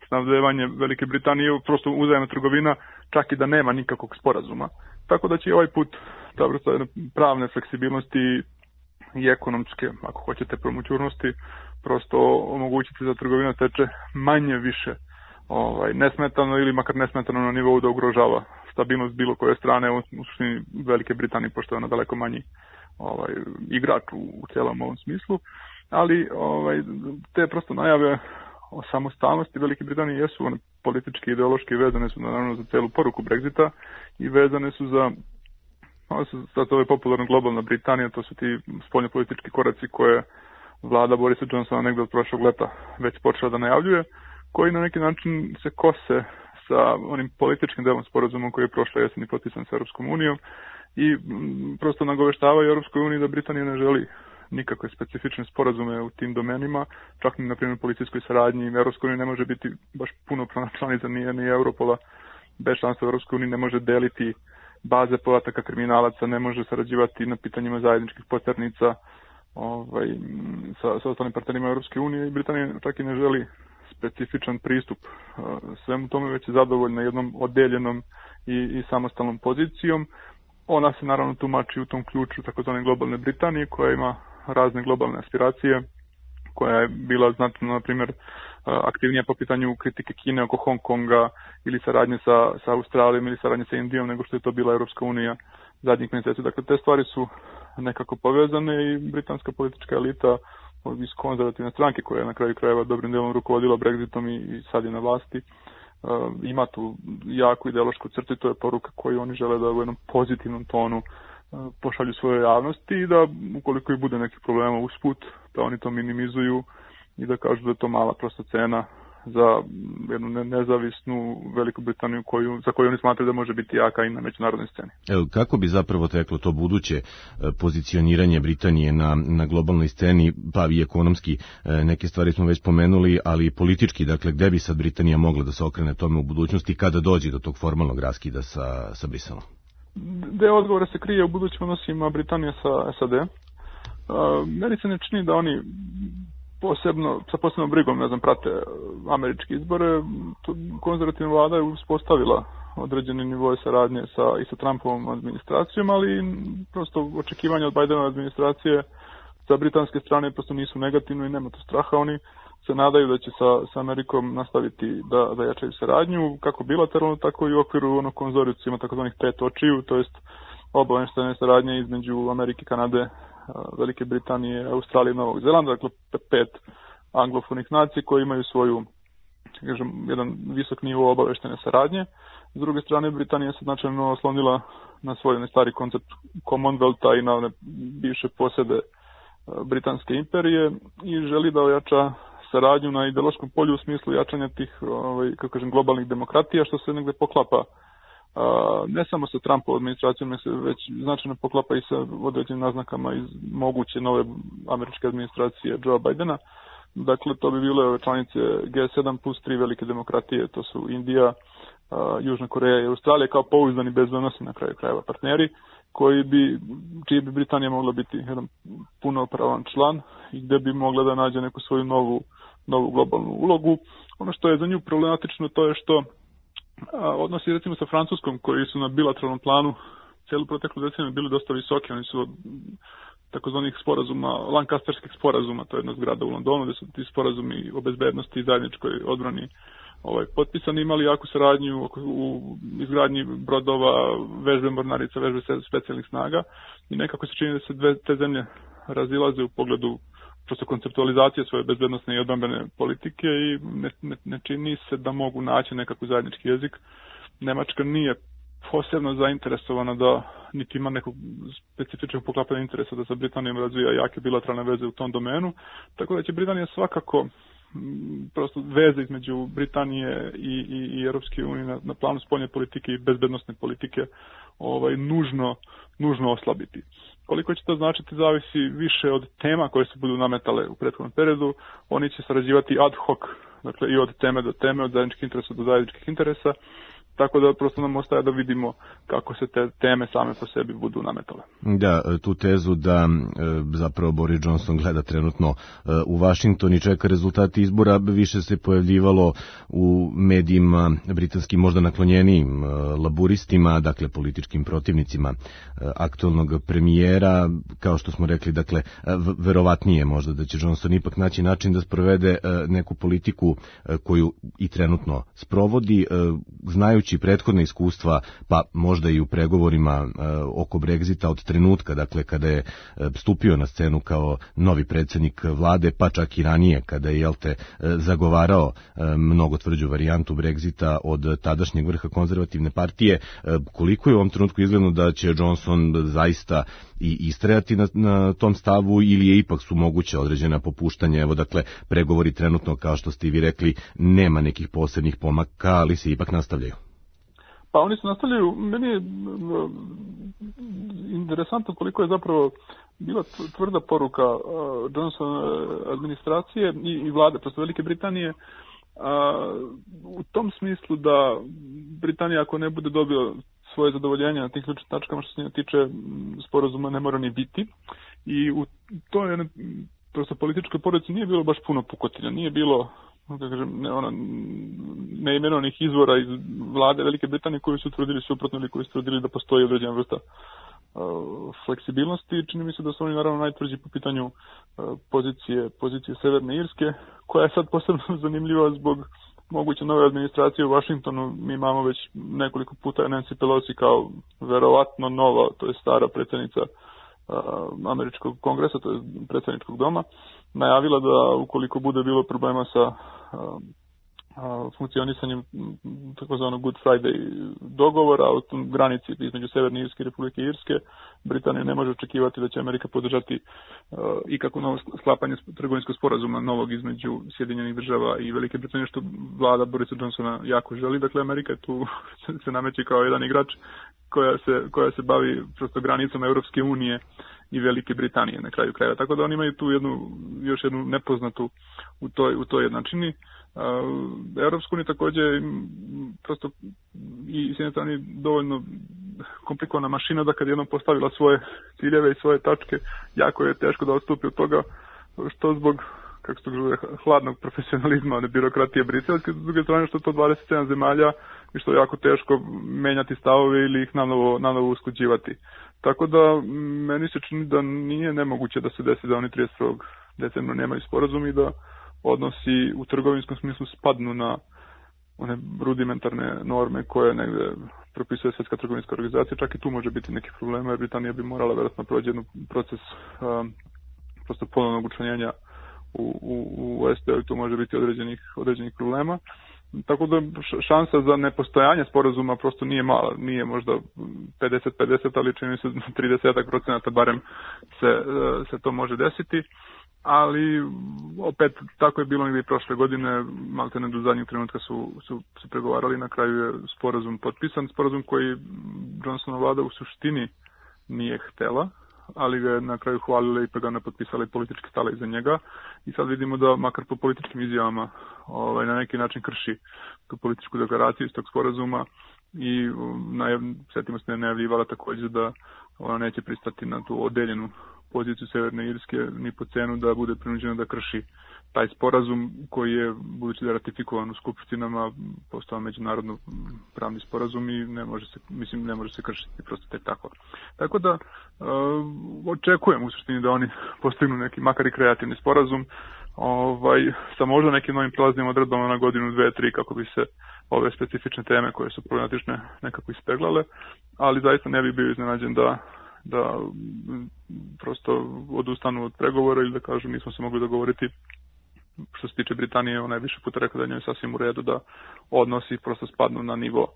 snabdevanje Velike Britanije, prosto uzajamna trgovina, čak i da nema nikakvog sporazuma. Tako da će ovaj put ta vrsta pravne fleksibilnosti i ekonomske, ako hoćete, promućurnosti, prosto omogućiti da trgovina teče manje više ovaj, nesmetano ili makar nesmetano na nivou da ugrožava stabilnost bilo koje strane, u suštini Velike Britanije, pošto je ona daleko manji ovaj, igrač u, u cijelom ovom smislu, ali ovaj, te prosto najave o samostalnosti Velike Britanije jesu one politički i ideološki vezane su naravno za celu poruku Brexita i vezane su za ono su sad ove popularno globalna Britanija, to su ti spoljnopolitički koraci koje vlada Borisa Johnsona negdje od prošlog leta već počela da najavljuje, koji na neki način se kose sa onim političkim delom sporazumom koji je prošle jeseni potpisan sa Europskom unijom i m, prosto nagoveštavaju Europskoj uniji da Britanija ne želi nikakve specifične sporazume u tim domenima, čak ni na primjer policijskoj saradnji. Europska unija ne može biti baš punopravna članica ni, ni Europola, bez članstva Europske unije ne može deliti baze podataka kriminalaca, ne može sarađivati na pitanjima zajedničkih poternica ovaj, sa, sa ostalim partnerima Europske unije i Britanija čak i ne želi specifičan pristup svemu tome, već je zadovoljna jednom odeljenom i, i samostalnom pozicijom. Ona se naravno tumači u tom ključu takozvane globalne Britanije koja ima razne globalne aspiracije, koja je bila znatno, na primjer, aktivnija po pitanju kritike Kine oko Hong Konga ili saradnje sa, sa Australijom ili saradnje sa Indijom nego što je to bila Europska unija zadnjih mjeseci. Dakle, te stvari su nekako povezane i britanska politička elita iz konzervativne stranke koja je na kraju krajeva dobrim delom rukovodila Brexitom i, i sad je na vlasti, uh, ima tu jaku ideološku crtu i to je poruka koju oni žele da u jednom pozitivnom tonu uh, pošalju svoje javnosti i da ukoliko i bude nekih problema usput, da oni to minimizuju i da kažu da je to mala prosta cena za jednu nezavisnu Veliku Britaniju koju, za koju oni smatraju da može biti jaka i na međunarodnoj sceni. Evo, kako bi zapravo teklo to buduće pozicioniranje Britanije na, na globalnoj sceni, pa i ekonomski, neke stvari smo već pomenuli, ali i politički, dakle, gde bi sad Britanija mogla da se okrene tome u budućnosti kada dođe do tog formalnog raskida sa, sa Briselom? Deo odgovora se krije u budućim odnosima Britanije sa S A D. Uh, meni se ne čini da oni posebno, sa posebnom brigom, ne znam, prate američke izbore. Konzervativna vlada je uspostavila određeni nivo saradnje sa, i sa Trumpovom administracijom, ali prosto očekivanja od Bidenove administracije sa britanske strane prosto nisu negativno i nema to straha. Oni se nadaju da će sa, sa Amerikom nastaviti da, da jačaju saradnju, kako bilateralno, tako i u okviru onog konzorcijuma takozvanih pet očiju, to jest obavještajne saradnje između Amerike, Kanade Velike Britanije, Australije i Novog Zelanda, dakle pet anglofonih nacija koji imaju svoju, kažem, jedan visok nivo obaveštene saradnje. S druge strane, Britanija se značajno oslonila na svoj stari koncept Commonwealtha i na one bivše posede Britanske imperije i želi da ojača saradnju na ideološkom polju u smislu jačanja tih, ovaj, kako kažem, globalnih demokratija, što se negde poklapa a, ne samo sa Trumpovom administracijom, nego se već značajno poklapa i sa određenim naznakama iz moguće nove američke administracije Joe Bidena. Dakle, to bi bile ove članice G sedam plus tri velike demokratije, to su Indija, a, Južna Koreja i Australija kao pouzdani bezbednosni na kraju krajeva partneri, koji bi, čiji bi Britanija mogla biti jedan punopravan član i gde bi mogla da nađe neku svoju novu, novu globalnu ulogu. Ono što je za nju problematično to je što a, odnosi recimo sa Francuskom, koji su na bilateralnom planu cijelu proteklu deceniju bili dosta visoki. Oni su od takozvanih sporazuma, Lancasterskih sporazuma, to je jedna zgrada u Londonu, gde su ti sporazumi o bezbednosti i zajedničkoj odbrani ovaj, potpisani, imali jaku saradnju u izgradnji brodova, vežbe mornarica, vežbe specijalnih snaga i nekako se čini da se dve te zemlje razilaze u pogledu prosto konceptualizacije svoje bezbednosne i odbrambene politike i ne, ne, ne čini se da mogu naći nekako zajednički jezik. Nemačka nije posebno zainteresovana da niti ima nekog specifičnog poklapanja interesa da sa Britanijom razvija jake bilateralne veze u tom domenu, tako da će Britanija svakako prosto veze između Britanije i, i, i Europske unije na, na planu spoljne politike i bezbednosne politike ovaj, nužno, nužno oslabiti. Koliko će to značiti zavisi više od tema koje se budu nametale u prethodnom periodu. Oni će sarađivati ad hoc, dakle i od teme do teme, od zajedničkih interesa do zajedničkih interesa, tako da prosto nam ostaje da vidimo kako se te teme same po sebi budu nametale. Da, tu tezu da zapravo Boris Johnson gleda trenutno u Vašington i čeka rezultati izbora više se pojavljivalo u medijima britanskim možda naklonjenijim laburistima, dakle političkim protivnicima aktualnog premijera, kao što smo rekli, dakle verovatnije možda da će Johnson ipak naći način da sprovede neku politiku koju i trenutno sprovodi, znaju prethodne iskustva, pa možda i u pregovorima e, oko Brexita od trenutka, dakle, kada je e, stupio na scenu kao novi predsjednik vlade, pa čak i ranije, kada je, jel te, e, zagovarao e, mnogo tvrđu varijantu Brexita od tadašnjeg vrha konzervativne partije, e, koliko je u ovom trenutku izgledno da će Johnson zaista i istrajati na, na tom stavu ili je ipak su moguće određena popuštanja, evo, dakle, pregovori trenutno, kao što ste i vi rekli, nema nekih posebnih pomaka, ali se ipak nastavljaju. Pa oni se nastavljaju, meni je interesantno koliko je zapravo bila tvrda poruka Johnson administracije i, i vlade, prosto Velike Britanije, a, u tom smislu da Britanija ako ne bude dobila svoje zadovoljenje na tih ključnim tačkama što se njega tiče sporazuma ne mora ni biti i u toj prosto političkoj porodici nije bilo baš puno pukotinja, nije bilo da kažem, ne, ona, neimenovanih izvora iz vlade Velike Britanije koji su tvrdili suprotno ili koji su tvrdili da postoji određena vrsta uh, fleksibilnosti. Čini mi se da su oni naravno najtvrđi po pitanju uh, pozicije, pozicije Severne Irske, koja je sad posebno zanimljiva zbog moguće nove administracije u Vašingtonu. Mi imamo već nekoliko puta Nancy Pelosi kao verovatno nova, to je stara predsjednica uh, američkog kongresa, to je predsjedničkog doma, najavila da ukoliko bude bilo problema sa uh, uh, funkcionisanjem takozvanog Good Friday dogovora o tom granici između Severne Irske i Republike Irske, Britanija ne može očekivati da će Amerika podržati uh, ikako novo sklapanje trgovinskog sporazuma novog između Sjedinjenih država i Velike Britanije, što vlada Borisa Johnsona jako želi. Dakle, Amerika tu se nameće kao jedan igrač koja se, koja se bavi prosto granicom Europske unije i Velike Britanije na kraju krajeva. Tako da oni imaju tu jednu, još jednu nepoznatu u toj, u toj jednačini. Uh, Europska unija također prosto i s jedne strane dovoljno komplikovana mašina da kad jednom postavila svoje ciljeve i svoje tačke, jako je teško da odstupi od toga, što zbog kako se to kaže, hladnog profesionalizma, one birokratije briselske, s druge strane što to dvadeset sedam zemalja i što je jako teško menjati stavove ili ih nanovo, nanovo usklađivati. Tako da meni se čini da nije nemoguće da se desi da oni trideset prvog decembra nemaju sporazum i da odnosi u trgovinskom smislu spadnu na one rudimentarne norme koje negde propisuje Svjetska trgovinska organizacija, čak i tu može biti neki problema, jer Britanija bi morala vjerojatno proći jedan proces um, prosto ponovnog učlanjenja u, u, u S P, i tu može biti određenih, određenih problema. Tako da šansa za nepostojanje sporazuma prosto nije mala, nije možda pedeset pedeset, ali čini se trideset procenata barem se, se to može desiti. Ali opet tako je bilo i prošle godine, maltene do zadnjeg trenutka su, su, su pregovarali, na kraju je sporazum potpisan, sporazum koji Johnsonova vlada u suštini nije htela, ali ga je na kraju hvalili i pa ga ne potpisali politički stale iza njega, i sad vidimo da makar po političkim izjavama ovaj, na neki način krši tu političku deklaraciju iz tog sporazuma, i najav, sjetimo se da je najavljivala također da ona neće pristati na tu odeljenu poziciju Severne Irske ni po cenu da bude prinuđena da krši taj sporazum koji je, budući da je ratifikovan u skupštinama, postao međunarodno pravni sporazum i ne može se, mislim, ne može se kršiti prosto tek tako. Tako da uh, očekujem u suštini da oni postignu neki makar i kreativni sporazum, ovaj, sa možda nekim novim prelaznim odredbama na godinu, dve, tri, kako bi se ove specifične teme koje su problematične nekako ispeglale, ali zaista ne bi bio iznenađen da da prosto odustanu od pregovora ili da kažu nismo se mogli dogovoriti. Što se tiče Britanije, ona je više puta rekla da je njoj sasvim u redu da odnosi prosto spadnu na nivo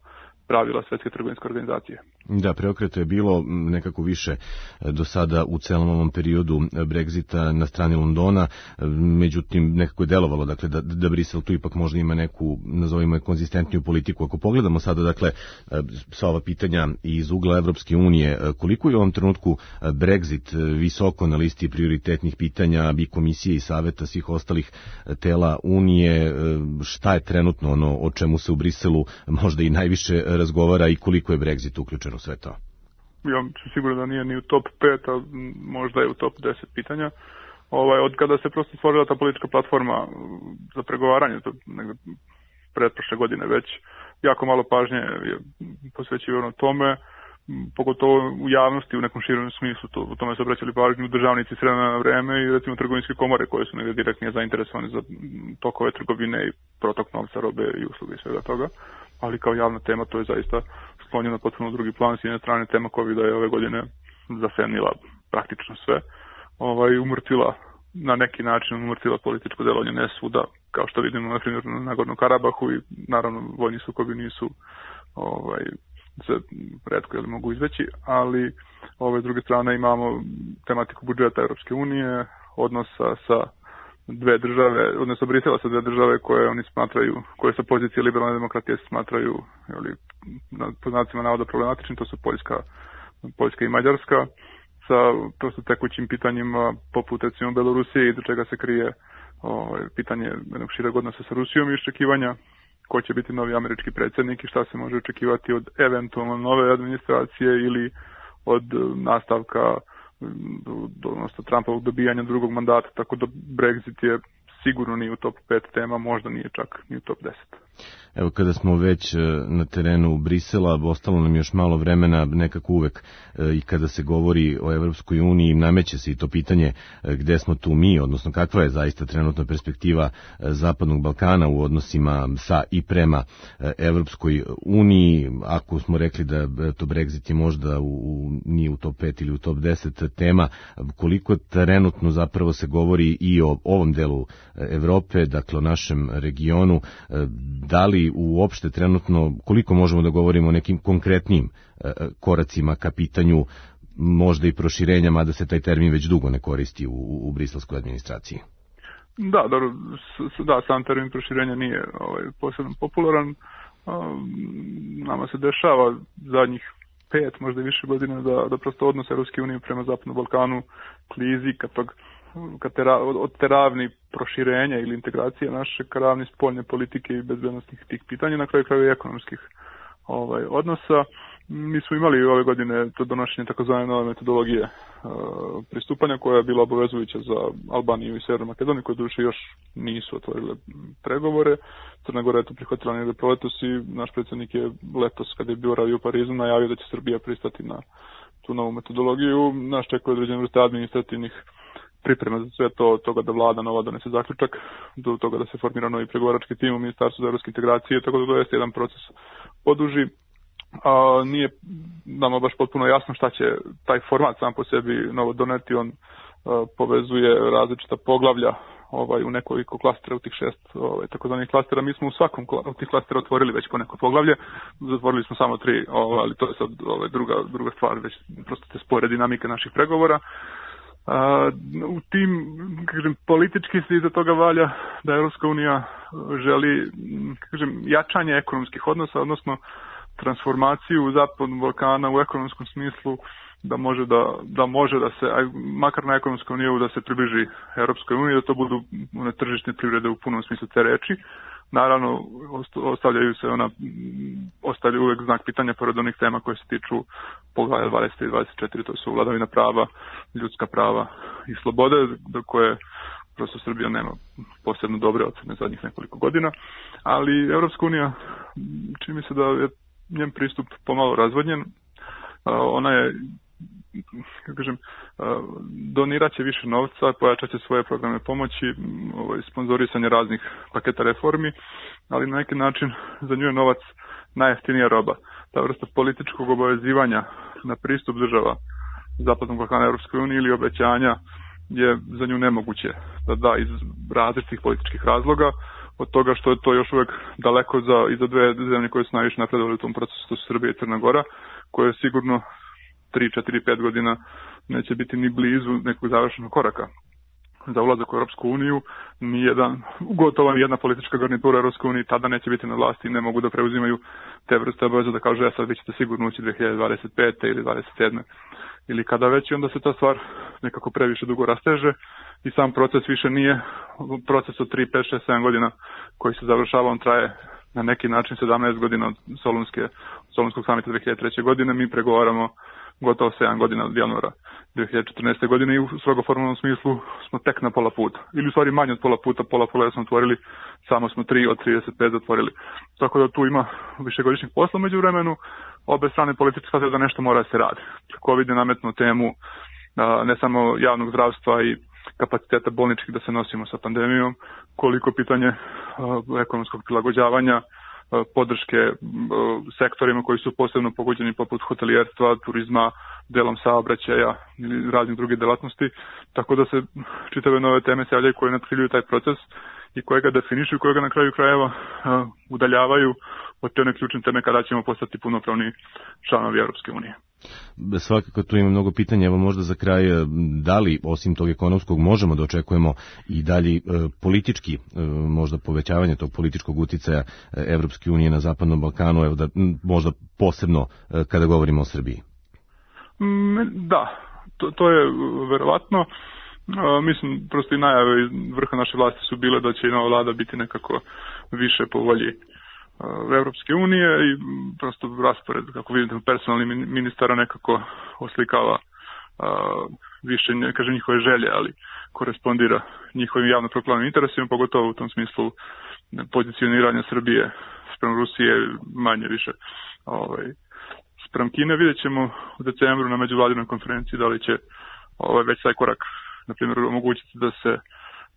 pravila Svjetske trgovinske organizacije. Da, preokreta je bilo nekako više do sada u celom ovom periodu Brexita na strani Londona, međutim nekako je delovalo dakle, da, da Brisel tu ipak možda ima neku, nazovimo je, konzistentniju politiku. Ako pogledamo sada dakle, sva ova pitanja iz ugla Evropske unije, koliko je u ovom trenutku Brexit visoko na listi prioritetnih pitanja i komisije i saveta svih ostalih tela Unije, šta je trenutno ono o čemu se u Briselu možda i najviše razgovara i koliko je Brexit uključen u sve to? Ja sam siguran da nije ni u top pet, a možda je u top deset pitanja. Ovaj, od kada se prosto stvorila ta politička platforma za pregovaranje, to negde pretprošle godine već, jako malo pažnje je posvećivano tome, pogotovo u javnosti u nekom širom smislu, to, u tome se obraćali pažnju državnici s vremena na vreme i recimo trgovinske komore koje su negdje direktnije zainteresovane za tokove trgovine i protok novca, robe i usluge i svega toga, ali kao javna tema to je zaista sklonjeno potpuno u drugi plan. S jedne strane tema covida je ove godine zasenila praktično sve, ovaj, umrtvila na neki način umrtvila političko delovanje ne svuda, kao što vidimo na primjer na Nagornom Karabahu, i naravno vojni sukobi nisu ovaj, se retko ili mogu izveći, ali ove s druge strane imamo tematiku budžeta Europske unije, odnosa sa dve države, odnosno Brisela sa dve države koje oni smatraju, koje sa pozicije liberalne demokratije smatraju, ili po znacima navoda problematični, to su Poljska, Poljska i Mađarska, sa prosto tekućim pitanjima poput recimo Belorusije i do čega se krije ovaj, pitanje jednog šireg odnosa sa Rusijom i iščekivanja ko će biti novi američki predsjednik i šta se može očekivati od eventualno nove administracije ili od nastavka, odnosno Trumpovog dobijanja drugog mandata, tako da Brexit je sigurno nije u top pet tema, možda nije čak ni u top deset. Evo, kada smo već na terenu Brisela, ostalo nam još malo vremena, nekako uvek i kada se govori o Evropskoj uniji, nameće se i to pitanje gde smo tu mi, odnosno kakva je zaista trenutna perspektiva Zapadnog Balkana u odnosima sa i prema Evropskoj uniji. Ako smo rekli da to Brexit je možda u, nije u top pet ili u top deset tema, koliko trenutno zapravo se govori i o ovom delu Evrope, dakle o našem regionu, da li uopšte trenutno, koliko možemo da govorimo o nekim konkretnim koracima ka pitanju možda i proširenja, mada se taj termin već dugo ne koristi u, u briselskoj administraciji? Da, dobro, da, sam termin proširenja nije ovaj, posebno popularan. Nama se dešava zadnjih pet, možda i više godina da, da prosto odnos Europske unije prema Zapadnom Balkanu klizi ka tog Ka tera, od teravni proširenja ili integracije naše ka ravni spoljne politike i bezbednostnih tih pitanja, na kraju kraju i ekonomskih ovaj, odnosa. Mi smo imali ove godine to donošenje takozvane nove metodologije uh, pristupanja koja je bila obavezujuća za Albaniju i Severnu Makedoniju, koje duše još nisu otvorile pregovore. Crna Gora je to prihvatila negde proletos i naš predsjednik je letos, kada je bio radio u Parizu, najavio da će Srbija pristati na tu novu metodologiju. Nas čekaju određene vrste administrativnih priprema za sve to, od toga da vlada nova donese zaključak, do toga da se formira novi pregovarački tim u Ministarstvu za evropske integracije, tako da to jeste jedan proces poduži. A, nije nama baš potpuno jasno šta će taj format sam po sebi novo doneti, on a, povezuje različita poglavlja ovaj, u nekoliko klastera, u tih šest ovaj, takozvanih klastera. Mi smo u svakom od tih klastera otvorili već po neko poglavlje, zatvorili smo samo tri, ovaj, ali to je sad ovaj, druga, druga stvar, već prosto te spore dinamike naših pregovora. Uh, u tim, kažem, politički se iza toga valja da Evropska unija želi, kažem, jačanje ekonomskih odnosa, odnosno transformaciju Zapadnog Balkana u ekonomskom smislu, da može da, da može da se, aj, makar na ekonomskom nivou, da se približi Evropskoj uniji, da to budu one tržišne privrede u punom smislu te reči. Naravno, ostavljaju se ona, ostavljaju uvek znak pitanja pored onih tema koje se tiču poglavlja dvadeset i dvadeset četiri, to su vladavina prava, ljudska prava i slobode, do koje prosto Srbija nema posebno dobre ocene zadnjih nekoliko godina, ali Evropska unija, čini mi se da je njen pristup pomalo razvodnjen. Ona je, kako kažem, donirat će više novca, pojačat će svoje programe pomoći, ovaj, sponzorisanje raznih paketa reformi, ali na neki način za nju je novac najjeftinija roba. Ta vrsta političkog obavezivanja na pristup država Zapadnog Balkana Evropskoj uniji ili obećanja je za nju nemoguće da da iz različitih političkih razloga, od toga što je to još uvek daleko za, i za dve zemlje koje su najviše napredovali u tom procesu, to su Srbija i Crna Gora, koje sigurno tri, četiri, pet godina neće biti ni blizu nekog završenog koraka. Za ulazak u Europsku uniju nijedan, gotovo jedna politička garnitura Europske unije tada neće biti na vlasti i ne mogu da preuzimaju te vrste obaveza da kažu, ja sad vi ćete sigurno ući dve hiljade dvadeset pete ili dvadeset sedme ili kada već, i onda se ta stvar nekako previše dugo rasteže i sam proces više nije proces od tri, pet, šest, sedam godina koji se završava, on traje na neki način sedamnaest godina od Solunske, Solunskog samita dve hiljade treće. godine, mi pregovaramo gotovo sedam godina od januara dve hiljade četrnaeste. godine i u strogo formalnom smislu smo tek na pola puta. Ili u stvari manje od pola puta, pola pola smo otvorili, samo smo tri od trideset pet zatvorili. Tako da tu ima višegodišnjeg posla među vremenu, obe strane političke shvataju da nešto mora da se radi. Covid je nametnuo temu ne samo javnog zdravstva i kapaciteta bolničkih da se nosimo sa pandemijom, koliko pitanje ekonomskog prilagođavanja, podrške sektorima koji su posebno pogođeni poput hotelijerstva, turizma, delom saobraćaja ili raznih drugih delatnosti, tako da se čitave nove teme se javljaju koje natkriljuju taj proces i koje ga definišu i koje ga na kraju krajeva udaljavaju od te one ključne teme kada ćemo postati punopravni članovi Europske unije. Svakako tu ima mnogo pitanja, evo možda za kraj, da li osim tog ekonomskog možemo da očekujemo i dalje politički, možda povećavanje tog političkog uticaja Evropske unije na Zapadnom Balkanu, evo da možda posebno kada govorimo o Srbiji? Da, to, to je verovatno. Mislim, prosto i najave iz vrha naše vlasti su bile da će i nova vlada biti nekako više po volji Evropske unije i prosto raspored, kako vidite, personalnih ministara nekako oslikava a, više, ne kažem njihove želje, ali korespondira njihovim javno proklamnim interesima, pogotovo u tom smislu pozicioniranja Srbije sprem Rusije, manje više ovaj, sprem Kine. Vidjet ćemo u decembru na međuvladinoj konferenciji da li će ovaj, već taj korak, na primjer, omogućiti da se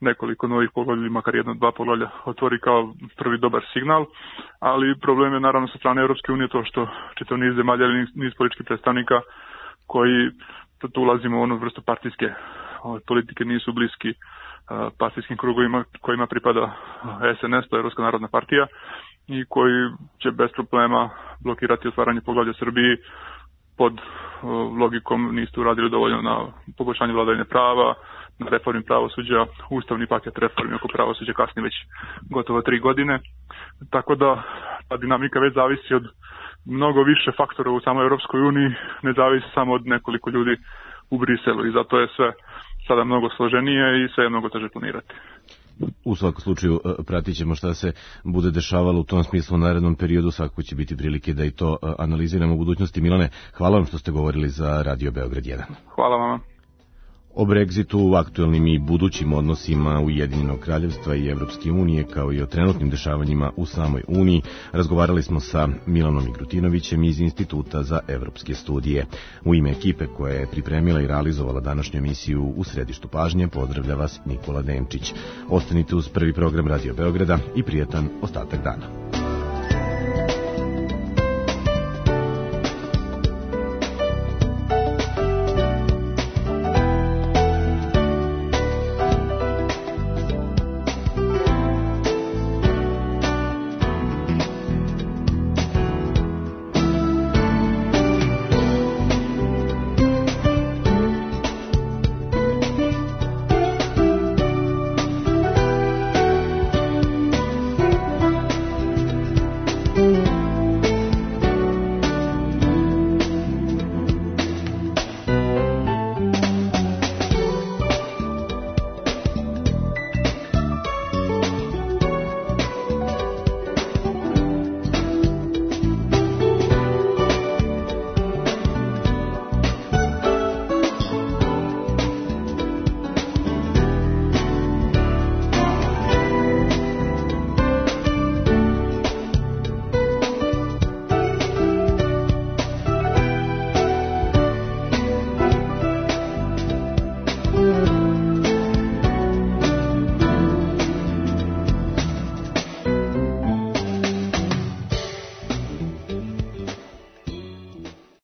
nekoliko novih poglavlja, makar jedno, dva poglavlja otvori kao prvi dobar signal, ali problem je naravno sa strane Europske unije to što čitav niz zemalja ili niz političkih predstavnika koji tu ulazimo u onu vrstu partijske politike, nisu bliski partijskim krugovima kojima pripada S N S, to je Evropska narodna partija, i koji će bez problema blokirati otvaranje poglavlja Srbiji pod logikom niste uradili dovoljno na poboljšanju vladavine prava, na reformi pravosuđa, ustavni paket reformi oko pravosuđa kasni već gotovo tri godine. Tako da ta dinamika već zavisi od mnogo više faktora u samoj Europskoj uniji, ne zavisi samo od nekoliko ljudi u Briselu i zato je sve sada mnogo složenije i sve je mnogo teže planirati. U svakom slučaju pratit ćemo šta se bude dešavalo u tom smislu u narednom periodu, svakako će biti prilike da i to analiziramo u budućnosti. Milane, hvala vam što ste govorili za Radio Beograd jedan. Hvala vam. O Brexitu, aktuelnim i budućim odnosima Ujedinjenog kraljevstva i Evropske unije, kao i o trenutnim dešavanjima u samoj Uniji, razgovarali smo sa Milanom Migrutinovićem iz Instituta za evropske studije. U ime ekipe koja je pripremila i realizovala današnju emisiju U središtu pažnje, pozdravlja vas Nikola Denčić. Ostanite uz prvi program Radio Beograda i prijatan ostatak dana. Mm-hmm.